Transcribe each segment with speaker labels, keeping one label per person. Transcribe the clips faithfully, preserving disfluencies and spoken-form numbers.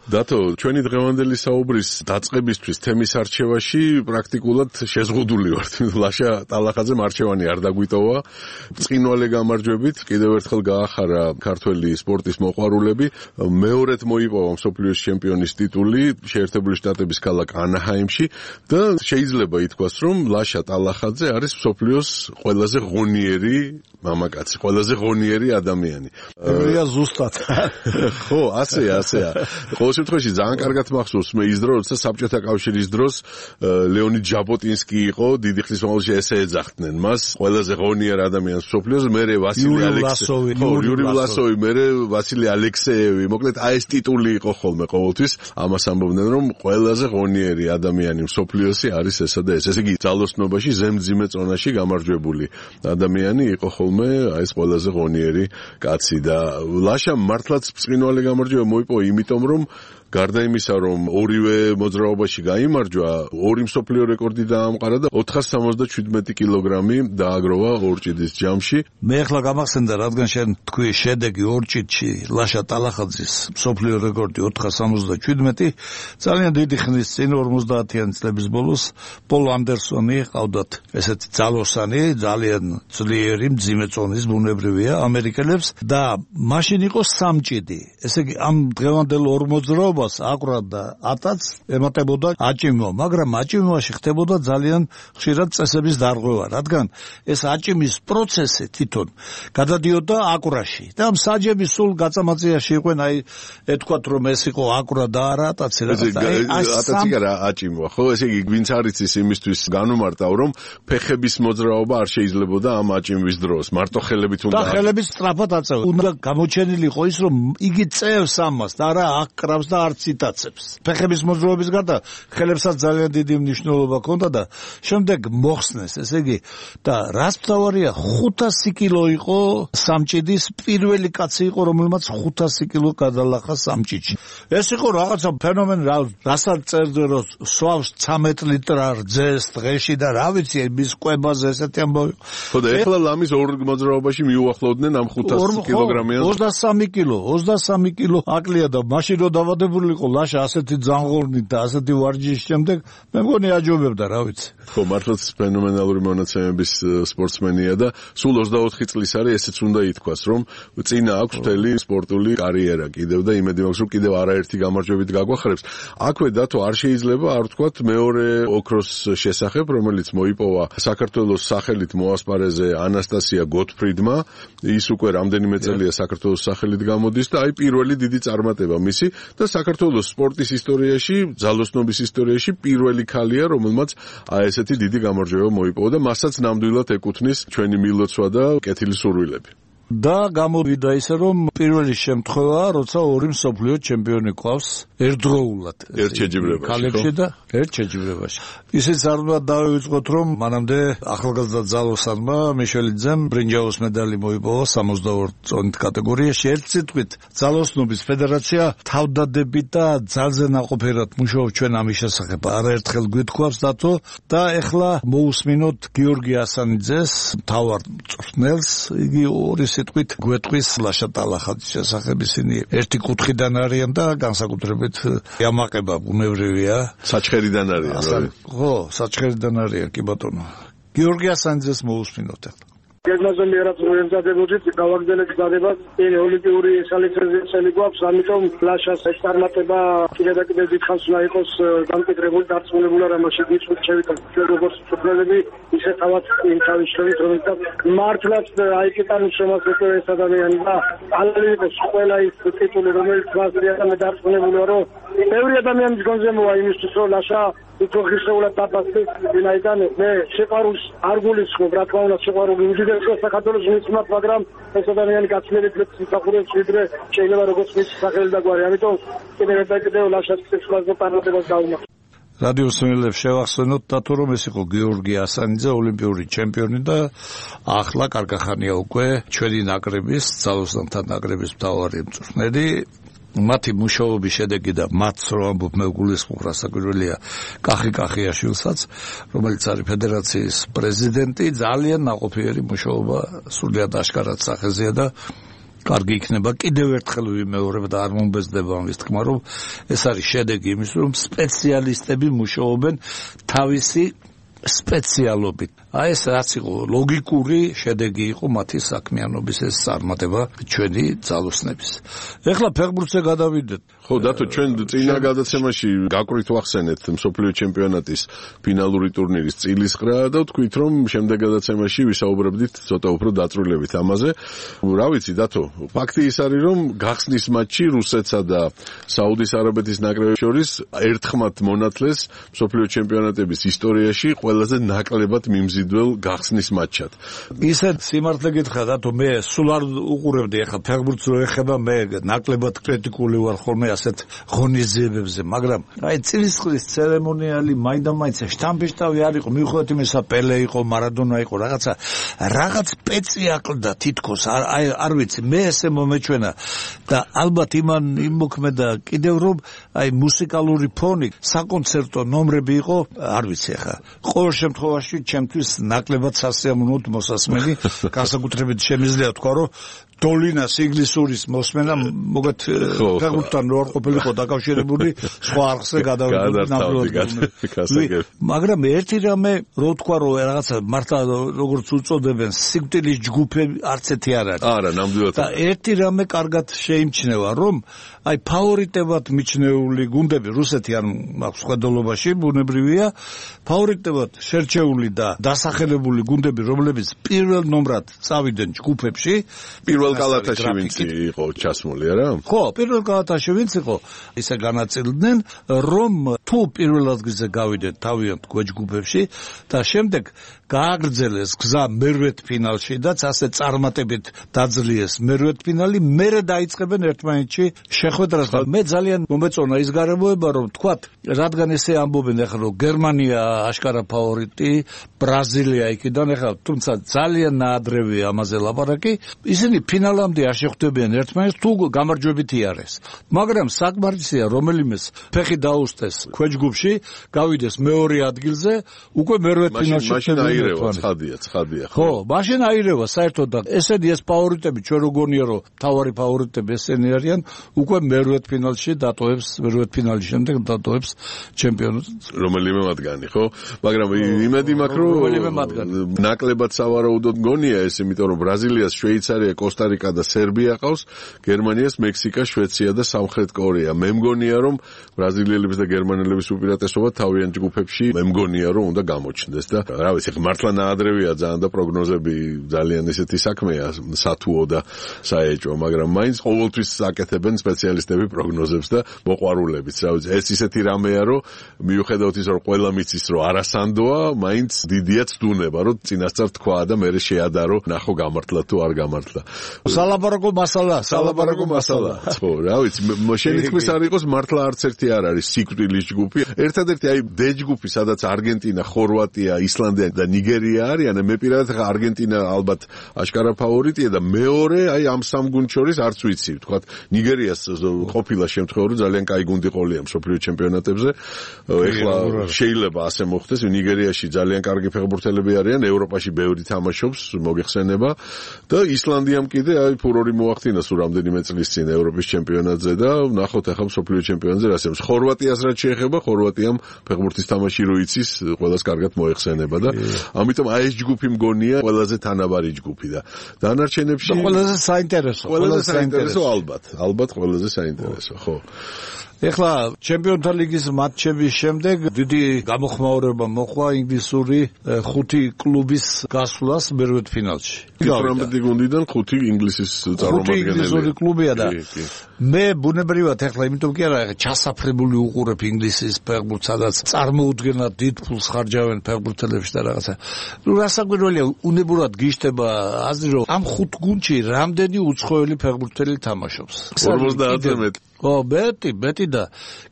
Speaker 1: დათო, ჩვენი დღევანდელი საუბრის დაწყებისთვის თემის არჩევაში პრაქტიკულად შეზღუდული ვართ. ლაშა ტალახაძემ არჩევანი არ დაგვიტოვა. ბრწყინვალე გამარჯვებით კიდევ ერთხელ გაახარა ქართველი სპორტის მოყვარულები. მეორედ მოიპოვა მსოფლიოს ჩემპიონის ტიტული შეერთებული შტატების ქალაქ ანაჰაიმში და შეიძლება ითქვას, რომ ლაშა ტალახაძე არის მსოფლიოს ყველაზე ღონიერი მამაკაცი, ყველაზე ღონიერი ადამიანი.
Speaker 2: ევრია ზუსტად.
Speaker 1: ხო, ასეა, ასეა. ყოველ შემთხვევაში ძალიან კარგად მახსოვს მე ის დრო, როცა საბჭოთა კავშირის დროს ლეონიდ ჟაბოტინსკი იყო, დიდი ხნის მანძილში ესე ეძახდნენ მას, ყველაზე ღონიერ ადამიანს მსოფლიოს, მერე ვასილი ალექსეევი, ხო, იური ვლასოვი, მერე ვასილი ალექსეევი. მოკლედ აი ეს ტიტული იყო ხოლმე ყოველთვის. ამას ამბობდნენ, რომ ყველაზე ღონიერი ადამიანი მსოფლიოსი არის ესა და ეს. ესე იგი, ძალოსნობაში ზემძიმე წონაში გამარჯვებული ადამიანი იყო ხოლმე აი ეს ყველაზე ღონიერი კაცი და ლაშამ მართლაც ბრწყინვალე გამარჯვება მოიპოვა, იმიტომ რომ გარდა იმისა, რომ ორივე მოძრაობაში გაიმარჯვა, ორი მსოფლიო რეკორდი დაამყარა და ოთხას სამოცდაშვიდმეტი კილოგრამი დააგროვა ორჭიდის ჯამში.
Speaker 2: მე ახლა გამახსენდა, რადგან შენ თქვი შედეგი ორჭიდში ლაშა ტალახაძის მსოფლიო რეკორდი ოთხას სამოცდაშვიდმეტი, ძალიან დიდი ხნის წინ ორმოცდაათიანი წლების ბოლოს პოლ ანდერსონი ყავდათ ესეთი ძალოსანი, ძალიან ძლიერი მძიმე წონის ბუნებრივია ამერიკელებს და მაშინ იყო სამჭიდი. ესე იგი, ამ დღევანდელ ორ მოძრაობას აკვრა და ათაც ემატებოდა აჭიმო, მაგრამ აჭიმოში ხდებოდა ძალიან ხშირად წესების დარღვევა, რადგან ეს აჭიმის პროცესი თვითონ გადადიოდა აკვრაში და ამ საჯების სულ გაწამაწიაში იყვნენ, აი ეთქვათ რომ ეს იყო აკვრა და არა ათაცი რაღაცა.
Speaker 1: ათაცი არა აჭიმოა, ხო, ესე იგი ვინც არის ის იმისთვის განუმარტავ, რომ ფეხების მოძრაობა არ შეიძლებოდა ამ აჭიმის დროს, მარტო ხელებით უნდა
Speaker 2: და ხელების სწრაფად აწევა. უნდა გამოჩენილი იყო ის, რომ იგი წევს ამას და არა აკრავს და არც იტაცებს. ფეხების მოძრაობის გარდა ხელებსაც ძალიან დიდი მნიშვნელობა ჰქონდა და შემდეგ მოხსნეს, ესე იგი და რას მთავარია, ხუთასი კილო იყო სამჭიდის პირველი კაცი იყო, რომელმაც ხუთასი კილო გადალახა სამჭიდში. ეს იყო რაღაცა ფენომენი, რასაც წერდა რომ სვავს ცამეტ ლიტრ რძეს დღეში და რა ვიცი, მის კვებაზე ესეთი ამბავი.
Speaker 1: ხო და ეხლა ლამის ორ მოძრაობაში მიუახლოვდნენ ამ ხუთას კილოგრამიან.
Speaker 2: ოცდასამი კილო, ოცდასამი კილო აკლია და მაშინ რო დავადებული იყო ლაშა ასეთი ძაღლყურნით და ასეთი ვარჯიშის შემდეგ, მე მგონი აჯობებდა, რა ვიცი.
Speaker 1: ხო, მართლაც ფენომენალური მონაცემების სპორტსმენია და სულ ოცდაოთხი წლის არის, ესეც უნდა ითქვას, რომ წინა აქვს მთელი სპორტული კარიერა კიდევ და იმედი მაქვს, რომ კიდევ არაერთი გამარჯვებით გაგვახარებს. აქვე დათო არ შეიძლება არ ვთქვათ მეორე ოქროს შესახებ, რომელიც მოიპოვა საქართველოს სახელით მოასპარეზე ანასტასია გოტფრიდმა. ის უკვე რამდენიმე წელია საქართველოს სახელით გამოდის და აი პირველი დიდი წარმატება მისი და საქართველოს სპორტის ისტორიაში, ძალოსნობის ისტორიაში პირველი ქალია, რომელმაც აი ესეთი დიდი გამარჯვება მოიპოვა და მასაც ნამდვილად ეკუთვნის ჩვენი მილოცვა და კეთილი სურვილები.
Speaker 2: და გამოვიდა ისე, რომ პირველი შემთხვევაა, როცა ორი მსოფლიო ჩემპიონი ყავს ერთდროულად.
Speaker 1: ერთ შეჯიბრებაში.
Speaker 2: ქალებში და ერთ შეჯიბრებაში. ისიც არ უნდა დავივიწყოთ, რომ მანამდე ახალგაზრდა ძალოსანმა მიშელიძემ ბრინჯაოს медаლი მოიპოვა სამოცდაორ წონით კატეგორიაში. ერთ სიტყვით, ძალოსნობის ფედერაცია თავდადებით და ძალზე ნაყოფიერად მუშაობს ჩვენ ამის შესახებ. არაერთხელ გვითხოვს დათო და ეხლა მოусმინოთ გიორგი ასანიძეს, მთავარ მწვრთნელს, იგი ორი სიტყვით გვეტყვის ლაშა ტალახაძის შესახებ. ისინი ერთი კუთხიდან არიან და განსაკუთრებით იამაყება ბუნებრივია.
Speaker 1: საჩხერიდან არიან.
Speaker 2: ხო, საჩხერიდან არიან, კი ბატონო. გიორგი ასანიძეს მოусმინოთ ახლა.
Speaker 3: გეგმაზე მიერაც მოემზადებოდით გავაგრძელეთ გზადებას წინ ოლიმპიური სალიცენზიაციელი გვაქვს, ამიტომ ლაშას ეს წარმატება კიდევ და კიდევ დიდხანს უნდა იყოს დამკვიდრებული, დარწმუნებული არ ამაში გიწვით შევიტანთ ჩვენ როგორც მწვრთნელები, ისე თავად იმ თავის შორის, რომელსაც მართლაც აიკეტანის შემოსწრება ეს ადამიანი და ალალი იყოს ყველა ის ტიტული, რომელიც მასია და მე დარწმუნებული ვარ, რომ ბევრი ადამიანის გონზე მოვა იმისთვის, რომ ლაშა უფრო ხშირად დაბასდეს ვინაიდან მე შეყარულს არ გულისხმობ, რა თქმა უნდა შეყარული უდიდესია საქართველოს მისმათ, მაგრამ ეს ადამიანი გაცილებით მსახურობს ვიდრე შეიძლება როგორც მის სახელი და გვარი, ამიტომ კიდევ და კიდევ ლაშას სიცხლაზე პარლამენტს დაუმახ.
Speaker 2: რადიო სმელებს შევახსენოთ დათო, რომ ეს იყო გიორგი ასანიძე, ოლიმპიური ჩემპიონი და ახლა კარგახანია უკვე ჩვენი ნაკრების, ძალოსანთა ნაკრების მთავარი მწვრთნელი. მათი მუშაობის შედეგი და მათ რო ამბობ მე გულისხმობ, რასაკვირველია, კახი კახიაშვილსაც, რომელიც არის ფედერაციის პრეზიდენტი, ძალიან ნაყოფიერი მუშაობა სრულიად აშკარად სახეზეა და კარგი იქნება კიდევ ერთხელ ვიმეორებ და არ მომბეზდება ამის თქმა, რომ ეს არის შედეგი იმის, რომ სპეციალისტები მუშაობენ თავისი სპეციალობით. აი ეს რაც იყო ლოგიკური შედეგი იყო მათი საქმიანობის ეს წარმატება ჩვენი ძალოსნების. ეხლა ფეხბურთზე გადავიდეთ.
Speaker 1: ხო, დათო, ჩვენ წინა გადაცემაში გაკვირთ ვახსენეთ მსოფლიო ჩემპიონატის ფინალური ტურნირის წილისყრა და ვთქვით, რომ შემდეგ გადაცემაში ვისაუბრებდით ცოტა უფრო დაწვრილებით ამაზე. რა ვიცი, დათო, ფაქტი ის არის, რომ გახსნის მატჩი რუსეთსა და საუდის არაბეთის ნაკრებებს შორის ერთხმად მონათლეს მსოფლიო ჩემპიონატების ისტორიაში ყველაზე ნაკლებად მიმზიდველ გახსნის მატჩად.
Speaker 2: ისე სიმართლე გითხრა, დათო, მე სულ არ უყურებდი ახლა ფეხბურთს რო ეხება, მე ნაკლებად კრიტიკული ვარ ხოლმე ასეთ ღონისძიებებზე, მაგრამ აი წილისყრის ცერემონიალი მაინდა-მაინც შტამპი-შტავი არ იყო, მიუხედავად იმისა, პელე იყო, მარადონა იყო, რაღაცა რაღაც პეცი აკლდა თითქოს, აი არ ვიცი, მე ესე მომეჩვენა და ალბათ იმან იმოქმედა კიდევ რომ აი მუსიკალური ფონი, საკონცერტო ნომრები იყო, არ ვიცი ახლა. ყოველ შემთხვევაში ჩემთვის ნაკლებად სასიამოვნოდ მოსასმენი, განსაკუთრებით შემიძლია თქვა, რომ დოლინას ინგლისურის მოსმენა მოგეთ ფეხბურთთან რო არ ყოფილიყო დაკავშირებული სხვა არხზე გადავიდოდი. მაგრამ ერთი რამე რო თქვა, რომ რაღაცა მართლა როგორც უწოდებენ სიკვდილის ჯგუფები არც ერთი არ არის.
Speaker 1: არა, ნამდვილად.
Speaker 2: და ერთი რამე კარგად შეიმჩნევა, რომ აი ფავორიტებად მიჩნეული გუნდები რუსეთი არ მაქვს ხედულობაში ბუნებრივია, ფავორიტებად შერჩეული და დასახელებული გუნდები, რომლებიც პირველ ნომრად წავიდნენ ჯგუფებში,
Speaker 1: პირველ კალათაში ვინც იყო ჩასმული, არა?
Speaker 2: ხო, პირველ კალათაში ვინც იყო, ისე განაწილდნენ, რომ თუ პირველ ადგილზე გავიდნენ თავიანთ გვეჯგუფებში და შემდეგ გააგრძელეს გზა მერვეთ ფინალში და ასე წარმატებით დაძლიეს მერვეთ ფინალი, მერე დაიწყებენ ერთმანეთში შეხვედრას და მე ძალიან მომეწონა ის გარემოება, რომ თქვათ, რადგან ესე ამბობენ ახლა, რომ გერმანია აშკარა ფავორიტი, ბრაზილია იქიდან, ახლა თუმცა ძალიან ნაადრევია ამაზე ლაპარაკი, ისინი ფინალამდე არ შეხვდებიან ერთმანეთს თუ გამარჯვებით იარეს. მაგრამ საკმარისია რომელიმეს ფეხი დაუსწეს ქვეჯგუფში, გავიდეს მეორე ადგილზე, უკვე მერვეთ ფინალში
Speaker 1: აირევა, ცხადია, ცხადია.
Speaker 2: ხო, მაშინ აირევა საერთოდ და ესენი ეს ფავორიტები ჩვენ რო გონია, რომ თავარი ფავორიტები ესენი არიან, უკვე მერვეთ ფინალში დატოვებს, მერვეთ ფინალის შემდეგ დატოვებს ჩემპიონატს.
Speaker 1: რომელიმე მათგანი, ხო? მაგრამ იმედი მაქვს, რომ ნაკლებად სავარაუდოდ გონია ეს, იმიტომ რომ ბრაზილიას, შვეიცარია, კოსტა-რიკა და სერბია ყავს, გერმანიას, მექსიკა, შვეიცარია და სამხრეთ კორეა. მე მგონია, რომ ბრაზილიელების და გერმანელების უპირატესობა თავიანთ ჯგუფებში მე მგონია, რომ უნდა გამოჩნდეს და რა ვიცი, მართლა ნაადრევია ძალიან და პროგნოზები ძალიან ისეთი საქმეა, სათუო და საეჭვო, მაგრამ მაინც ყოველთვის აკეთებენ სპეციალისტები პროგნოზებს და მოყვარულებიც, რა ვიცი, ეს ისეთი რამეა, რომ მიუხედავად ის, რომ ყველა მიცის, რომ არასანდოა, მაინც დიდია ცდუნება, რომ წინასწარ თქვა და მე შეადარო, ნახო გამართლა თუ არ გამართლა.
Speaker 2: სალაპარაკო მასალა,
Speaker 1: სალაპარაკო მასალა. ხო, რა ვიცი, შენი თქმის არ იყოს, მართლა არც ერთი არ არის სიკვდილის ჯგუფი. ერთადერთი აი დე ჯგუფი, სადაც არგენტინა, ხორვატია, ისლანდია და ნიგერია არიან, მე პირადად ხა არგენტინა ალბათ აშკარა ფავორიტია და მეორე აი ამ სამ გუნდს შორის არც ვიცი, თქვათ ნიგერიას ყოფილა შემთხვევა, რომ ძალიან კაი გუნდი ყოლია მსოფლიო ჩემპიონატებზე. ეხლა შეიძლება ასე მოხდეს, ნიგერიაში ძალიან კარგი ფეხბურთელები არიან, ევროპაში ბევრი თამაშობს, მოგეხსენება და ისლანდიამ კიდე აი ფურორი მოახდინა სულ რამდენიმე წლის წინ ევროპის ჩემპიონატზე და ნახოთ ახლა მსოფლიო ჩემპიონატზე რა შემს. ხორვატიას რაც შეეხება, ხორვატიამ ფეხბურთის თამაში რო იცის, ყველას კარგად მოეხსენება და ამიტომ აი ეს ჯგუფი მგონია ყველაზე თანაბარი ჯგუფი და დანარჩენებში
Speaker 2: ყველაზე საინტერესო,
Speaker 1: ყველაზე საინტერესო ალბათ, ალბათ ყველაზე საინტერესო, ხო.
Speaker 2: ეხლა ჩემპიონთა ლიგის მატჩების შემდეგ დიდი გამოხმაურება მოყვა ინგლისური ხუთი კლუბის გასვლას მერვეთ ფინალში.
Speaker 1: თერთმეტი გუნდიდან ხუთი ინგლისის წარმომადგენელი.
Speaker 2: ხუთი ინგლისური კლუბია და მე ბუნებრივად ეხლა იმიტომ კი არა, ჩასაფრებული უყურებ ინგლისის ფეხბურთს, სადაც წარმოუდგენლად დიდ ფულს ხარჯავენ ფეხბურთელებში და რაღაცა. ნუ რასაკვირველია, უნებურად გიშტება აზრი, რომ ამ ხუთ გუნდში რამდენი უცხოელი ფეხბურთელი თამაშობს.
Speaker 1: ორმოცდაათი მეტი.
Speaker 2: ხო, მეტი, მეტი და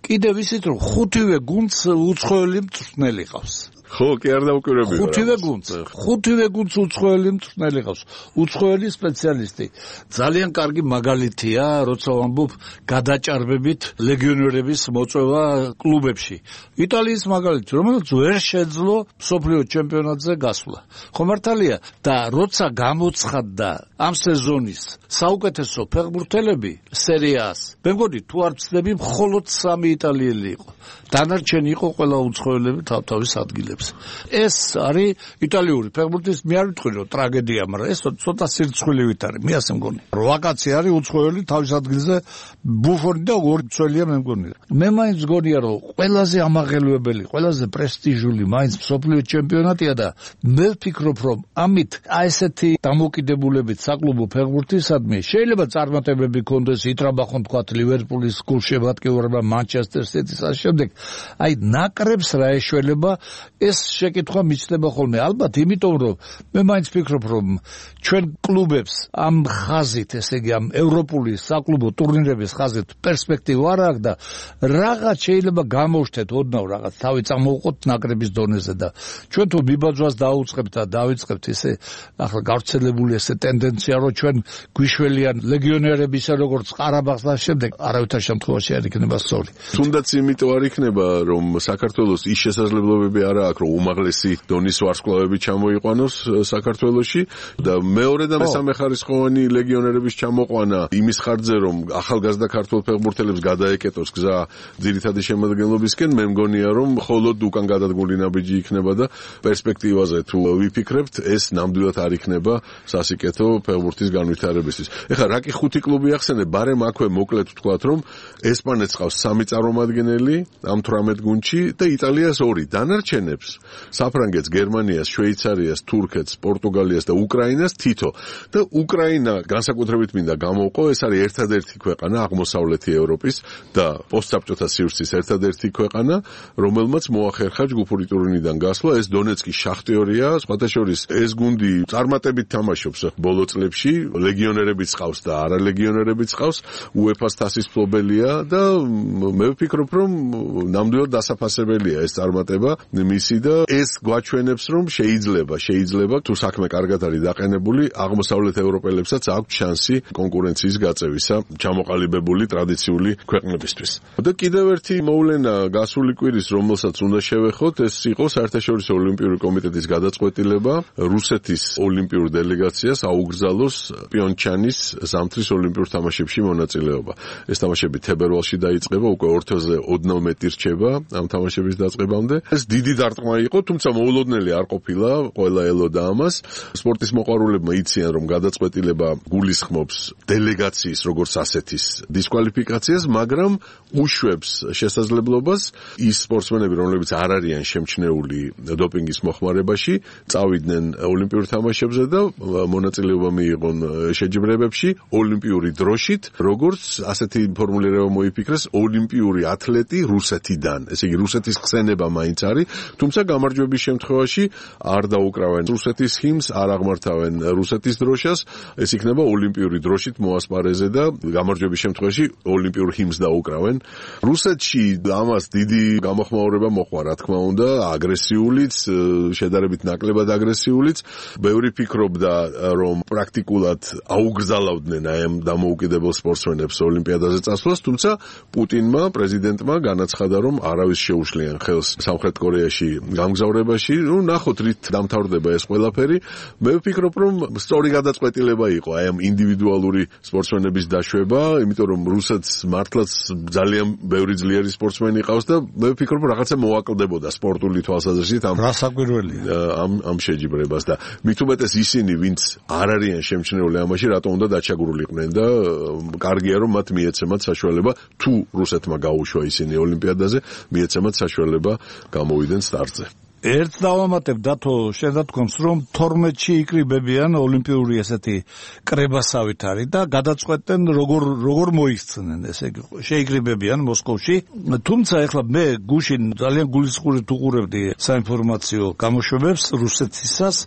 Speaker 2: კიდევ ისიც რომ ხუთივე გუნდს უცხოელი მწვრთნელი ყავს.
Speaker 1: ხო, კი არ დავკვირვები.
Speaker 2: ხუთივე გუნდს, ხუთივე გუნდს უცხოელი მწვრთნელი ყავს. უცხოელი სპეციალისტი. ძალიან კარგი მაგალითია, როცა ვამბობ გადაჭარბებით ლეგიონერების მოწვევა კლუბებში. იტალიის მაგალითი, რომელიც ვერ შეძლო მსოფლიო ჩემპიონატზე გასვლა. ხო მართალია და როცა გამოცხადდა ამ სეზონის საუკეთესო ფეხბურთელები სერია-ას, მე მგონი თუ არ ვცდები, მხოლოდ სამი იტალიელი იყო. დანარჩენი იყო ყველა უცხოელები თავთავის ადგილებს. ეს არის იტალიური ფეხბურთის, მე არ ვიტყვი რომ ტრაგედია, მაგრამ ეს ცოტა სირცხვილივით არის. მე ასე მგონი. რვა კაცი არის უცხოელი თავის ადგილზე, ბუფონი და ორი მცველია მე მგონი. მე მაინც მგონია რომ ყველაზე ამაღელვებელი, ყველაზე პრესტიჟული მაინც მსოფლიო ჩემპიონატია და მე ვფიქრობ რომ ამით აი ესეთი დამოკიდებულებით საკლუბო ფეხბურთისადმი შეიძლება წარმატებები ქონდეს, იტრაბახონ თქვათ ლივერპულის გულშემატკივრობა, მანჩესტერ სიტის ამ შემდეგ აი ნაკრებს რა ეშველება ეს შეკითხვა მიჩნდება ხოლმე. ალბათ იმიტომ რომ მე მაინც ვფიქრობ რომ ჩვენ კლუბებს ამ ხაზით, ესე იგი ამ ევროპული საკლუბო ტურნირების ხაზით პერსპექტივა არ აქვს და რაღაც შეიძლება გამოვშთეთ ოდნავ რაღაც თავი წამოვყოთ ნაკრების დონეზე და ჩვენ თუ ბიბაძვას დაუწყებთ და დავიწყებთ ესე ახლა გავრცელებული ესე ტენდენცია რომ ჩვენ გვიშველიან ლეგიონერები ისე როგორც ყარაბაღს და შემდეგ არავითარ შემთხვევაში არ იქნება სწორი.
Speaker 1: თუნდაც იმიტომ არ იქნება რომ საქართველოს ის შესაძლებლობები არ აქვს რომ უმაღლესი დონის ვარსკვლავები ჩამოიყვანოს საქართველოში და მეორე და მესამე ხარისხოვანი ლეგიონერების ჩამოყვანა იმის ხარჯზე რომ ახალგაზრდა ქართველ ფეხბურთელებს გადაეკეტოს გზა ძირითადი შემადგენლობისკენ, მე მგონია რომ მხოლოდ უკან გადადგმული ნაბიჯი იქნება და პერსპექტივაზე თუ ვიფიქრებთ ეს ნამდვილად არ იქნება სასიკეთო ფეხბურთის განვითარებისთვის. ეხლა რა კი ხუთი კლუბი ახსენე, ბარემ აქვე მოკლედ ვთქვათ რომ ესპანეთს ყავს სამი წარმომადგენელი ამ თვრამეტ გუნდში და იტალიას ორი. დანარჩენებს საფრანგეთს, გერმანიას, შვეიცარიას, თურქეთს, პორტუგალიას და უკრაინას თითო. და უკრაინა განსაკუთრებით მინდა გამოვყო, ეს არის ერთადერთი ქვეყანა აღმოსავლეთი ევროპის და პოსტსაბჭოთა სივრცის ერთადერთი ქვეყანა, რომელმაც მოახერხა ჯგუფური ტურნირიდან გასვლა. ეს დონეცკის შახტიორია, სხვათა შორის ეს გუნდი წარმატებით თამაშობს ბოლო წლებში, ლეგიონერებიც ყავს და არალეგიონერებიც ყავს, უეფას თასის მფლობელია და მე ვფიქრობ რომ ნამდვილად დასაფასებელია ეს წარმატება მისი და ეს გვაჩვენებს რომ შეიძლება, შეიძლება თუ საქმე კარგად არის დაყენებული, აღმოსავლეთ ევროპელებსაც აქვს შანსი კონკურენციის გაწევისა ჩამოყალიბებული ტრადიციული ქვეყნებისთვის. და კიდევ ერთი მოვლენა გასული კვირის, რომელსაც უნდა შევეხოთ, ეს იყო საერთაშორისო ოლიმპიური კომიტეტის გადაწყვეტილება რუსეთის ოლიმპიურ დელეგაციას აუგზავნოს პიონჩანის ზამთრის ოლიმპიურ თამაშებში მონაწილეობა. ეს თამაშები თებერვალში დაიწყება, უკვე ორთვეზე ოდნავ მეტი რჩება ამ თამაშების დაწყებამდე. ეს დიდი დარტყმა იყო, თუმცა მოულოდნელი არ ყოფილა, ყველა ელოდა ამას. სპორტის მოყვარულებმა იციან, რომ გადაწყვეტილება გულისხმობს დელეგაციის როგორც ასეთის დისკვალიფიკაციას, მაგრამ უშვებს შესაძლებლობას ის სპორტსმენები, რომლებიც არ არიან შემჩნეული დოპინგის მოხმარებაში, წავიდნენ ოლიმპიურ თამაშებზე და მონაწილეობა მიიღონ შეჯიბრებებში ოლიმპიური დროშით, როგორც ასეთი ფორმულირება მოიფიქრეს, ოლიმპიური ათლეტი რუსეთიდან. ესე იგი რუსეთის ხსენება მაინც არის, თუმცა გამარჯვების შემთხვევაში არ დაუკრავენ რუსეთის ჰიმნს, არ აღმართავენ რუსეთის დროშას, ეს იქნება ოლიმპიური დროშით მოასპარეზე და გამარჯვების შემთხვევაში ოლიმპიურ ჰიმნს დაუკრავენ. რუსეთში ამას დიდი გამოხმაურება მოყვა, რა თქმა უნდა, აგრესიულიც, შედარებით ნაკლებად აგრესიულიც. ბევრი ფიქრობდა, რომ პრაქტიკულად აუგზავნდნენ აი ამ დამოუკიდებელ სპორტსმენებს ოლიმპიადაზე წასვლას, თუმცა პუტინმა, პრეზიდენტმა განაცხადა, რომ არავის შეუშლიან ხელს სამხრეთ კორეაში გამგზავრებაში. ნუ ნახოთ რით დამთავრდება ეს ყველაფერი. მე ვფიქრობ, რომ სწორი გადაწყვეტილება იყო აი ამ ინდივიდუალური სპორტსმენების დაშვება, იმიტომ რომ რუსეთს მართლაც ძალიან ბევრი ძლიერი სპორტსმენი ყავს და მე ვფიქრობ, რაღაცა მოაკლდებოდა სპორტული თვალსაზრისით ამ
Speaker 2: რასაკვირველია
Speaker 1: ამ ამ შეჯიბრებას და მით უმეტეს ისინი, ვინც არ არიან შემჩნეული ამაში, რატომ უნდა დაჩაგრულიყვნენ და კარგია რომ მათ მიეცემათ საშუალება, თუ რუსეთმა გაუშვა ისინი ოლიმპიადაზე, მიეცემათ საშუალება გამოვიდნენ სტარტზე.
Speaker 2: ერთ დავამატებ დათო, შენ რა თქონს, რომ თორმეტში იკრიბებიან ოლიმპიური ესეთი კრებასავით არის და გადაწყვეტენ როგორ როგორ მოიქცნენ, ესე იგი შეიკრიბებიან მოსკოვში. თუმცა ეხლა მე გუშინ ძალიან გულისხმობით უყურებდი საინფორმაციო გამოშვებებს რუსეთისას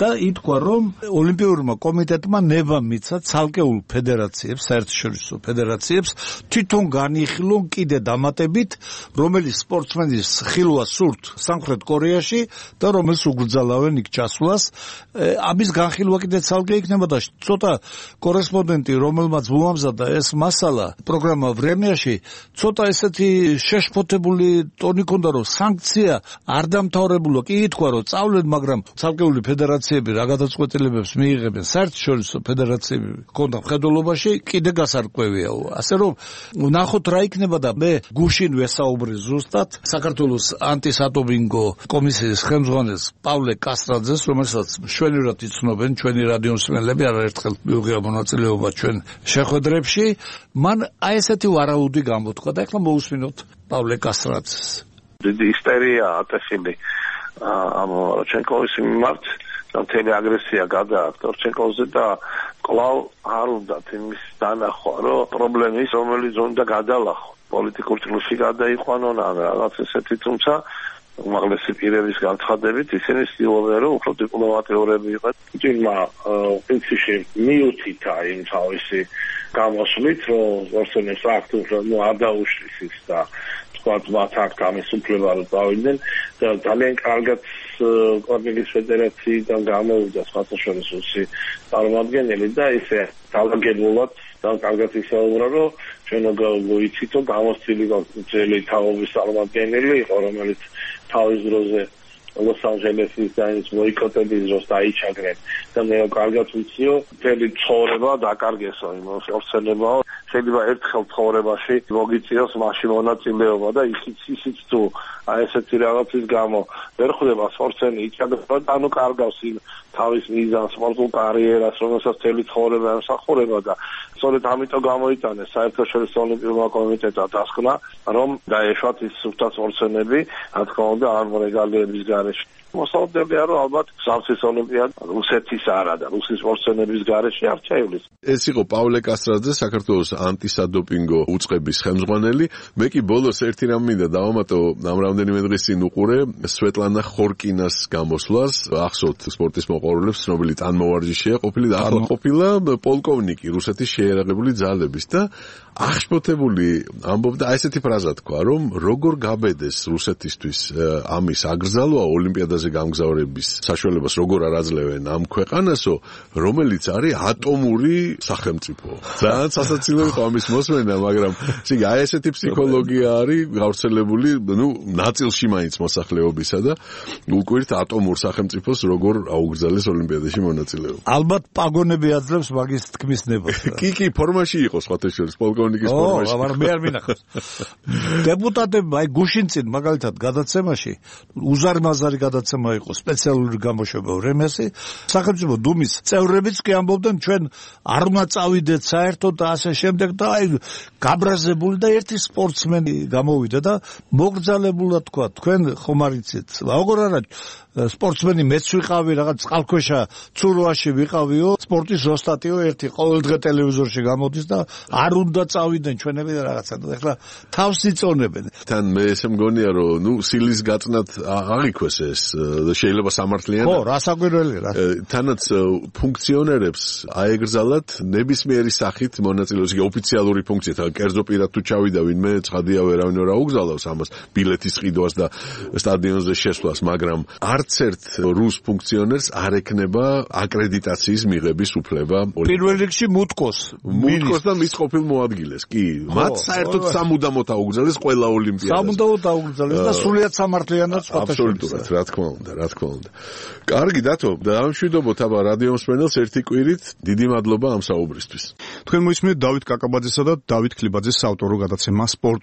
Speaker 2: და ითქვა, რომ ოლიმპიურმა კომიტეტმა ნება მიცა ცალკეულ ფედერაციებს, საერთაშორისო ფედერაციებს თვითონ განიხილონ კიდე დამატებით, რომელი სპორტსმენის ხილვა სურთ სამხრეთ კორეა ისტორიაში და რომელს უგრძალავენ იქ ჩასვლას. ამის განხილვა კიდე ცალკე იქნება და ცოტა კორესპონდენტი, რომელმაც მოამზადა ეს მასალა პროგრამა ვრემიაში, ცოტა ესეთი შეშფოთებული ტონი ქონდა, რომ სანქცია არ დამთავრებულა. კი ითქვა, რომ წავლენ, მაგრამ ცალკეული ფედერაციები რა გადაწყვეტილებებს მიიღებენ, საერთაშორისო ფედერაციები ქონდა მხედველობაში, კიდე გასარკვევია. ასე რომ ნახოთ რა იქნება და მე გუშინ ვესაუბრი ზუსტად საქართველოს ანტისადოპინგო კომისიის ხელმძღვანელს პავლე კასტრაძეს, რომელსაც მშვენივრად იცნობენ ჩვენი რადიო მსმენელები, არაერთხელ მიუღია მონაწილეობა ჩვენ შეხვედრებში. მან აი ესეთი ვარაუდი გამოთქვა და ეხლა მოусმინოთ პავლე კასტრაძეს.
Speaker 4: დიდი ისტერია ატეხილი ამ როჩენკოვის მიმართ და მთელი აგრესია გადააქვს როჩენკოვზე და კვლავ არ უნდათ იმის დანახვა, რომ პრობლემის, რომელიც უნდა გადალახო, პოლიტიკურ ჭრილში გადაიყვანონ ან რაღაც ესეთი, თუმცა უმაღლესი პირების განცხადებით ისინი ცდილობენ, რომ უფრო დიპლომატიურები იყოთ. თუმცა პრინციპში მიუთითა იმ თავისი გამოსვლით, რომ ორსონეს აქტს არ დაუშლის ის და თქვათ მათ აქ ამის უფლება რომ დავიდნენ და ძალიან კარგად კორპორატის ფედერაციიდან გამოვიდა სხვადასხვა წარმომადგენელი და ისე დაალაგებულად და კარგად ისაუბრა, რომ ჩვენ გვიცით, რომ გამოცდილი ძელი თაობის წარმომადგენელი იყო, რომელიც თავის დროზე ლოს-ანჯელესის და ის მოიკოტების დროს დაიჩაგრენ და მე კარგად ვიციო, მთელი ცხოვრება დაკარგესო იმ ორსენებაო. შეიძლება ერთხელ ცხოვრებაში მოგიწიოს მასში მონაწილეობა და ისიც ისიც თუ აი ესეთი რაღაცის გამო ვერ ხვდება სპორტსმენი იჩაგრება, ანუ კარგავს იმ თავის მიზანს, სპორტულ კარიერას, რომელსაც მთელი ცხოვრება ემსახურება და სწორედ ამიტომ გამოიტანეს საერთაშორისო ოლიმპიურმა კომიტეტმა დასკვნა, რომ დაეშვათ ის სუფთა სპორტსმენები, რა თქმა უნდა, ამ რეგალიების გარეშე. მოსალოდნელია, რომ ალბათ სამსის ოლიმპიადა რუსეთის არა და რუსის სპორტსმენების გარეშე არ ჩაივლის.
Speaker 1: ეს იყო პავლე კასტრაძე, საქართველოს ანტისადოპინგო უწყების ხელმძღვანელი. მე კი ბოლოს ერთი რამ მინდა დავამატო, ამ რამდენიმე დღის წინ უყურე სვეტლანა ხორკინას გამოსვლას, ახსოვთ სპორტის მოყვარულებს, ცნობილი ტანმოვარჯიშეა, ყოფილი და ახლა ყოფილა პოლკოვნიკი რუსეთის შეიარაღებული ძალების და აღშფოთებული ამბობდა აი ესეთი ფრაზა თქვა, რომ როგორ გაბედეს რუსეთისთვის ამის აკრძალვა ოლიმპიადაზე გამგზავრების საშუალებას როგორ არ აძლევენ ამ ქვეყანასო, რომელიც არის ატომური სახელმწიფო. ძალიან სასაცილო იყო ამის მოსმენა, მაგრამ ისე აი ესეთი ფსიქოლოგია არის გავრცელებული, ნუ ნაწილში მაინც მოსახლეობისა და უკვირთ ატომურ სახელმწიფოს როგორ აუგრძალეს ოლიმპიადაში მონაწილეობა.
Speaker 2: ალბათ პაგონები აძლევს მაგის თქმის ნებას.
Speaker 1: კი, კი, ფორმაში იყო სხვათა შორის, პოლკოვნიკის ფორმაში.
Speaker 2: ო, მაგრამ მე არ მინახავს. დეპუტატებმა აი გუშინ წინ მაგალითად გადაცემაში უზარმაზარი გადაცემა იყო სპეციალური გამოშვება ვრემესი, სახელმწიფო დუმის წევრებიც კი ამბობდნენ, ჩვენ არ უნდა წავიდეთ საერთოდ და ასე შემდეგ და აი გაბრაზებული და ერთი სპორტსმენი გამოვიდა და მოგრძალებულად თქვა, თქვენ ხომ არ იცით, როგორ არა სპორტსმენი მეც ვიყავი, რაღაც წყალქვეშა ცურვაში ვიყავიო, სპორტის ოსტატიო ერთი ყოველდღე ტელევიზორში გამოდის და არ უნდა წავიდნენ ჩვენები და რაღაცა და ეხლა თავს იწონებენ.
Speaker 1: თან მე ესე მგონია, რომ ნუ სილის გაწნად აღიქვეს ეს შეიძლება სამართლიანი.
Speaker 2: ხო, რასაკვირველი რა.
Speaker 1: თანაც ფუნქციონერებს აეგრძალათ ნებისმიერი სახით მონაწილეობის, იგი ოფიციალური ფუნქცია, თან კერძო პირად თუ ჩავიდა ვინმე, ცხადია ვერავინ ვერ აუგზავნოს ამას, ბილეთის ყიდვას და სტადიონზე შესვლას, მაგრამ არც ერთ რუს ფუნქციონერს არ ექნება აკრედიტაციის მიღების უფლება.
Speaker 2: პირველ რიგში მუტკოს,
Speaker 1: მუტკოს და მის ყოფილ მოადგილეს. კი, მათ საერთოდ სამუდამოდ აუგზავნეს ყველა ოლიმპიადას.
Speaker 2: სამუდამოდ აუგზავნეს და სრულიად სამართლიანად სხვათა შორის.
Speaker 1: აბსოლუტურად, რა თქმა უნდა, რა თქმა უნდა. კარგი დათო, დავამშვიდობოთ აბა რადიო მსმენელს ერთი კვირით. დიდი მადლობა ამ საუბრისთვის.
Speaker 5: თქვენ მოისმინეთ დავით კაკაბაძესა და დავით ქლიბაძეს საავტორო გადაცემა სპორტ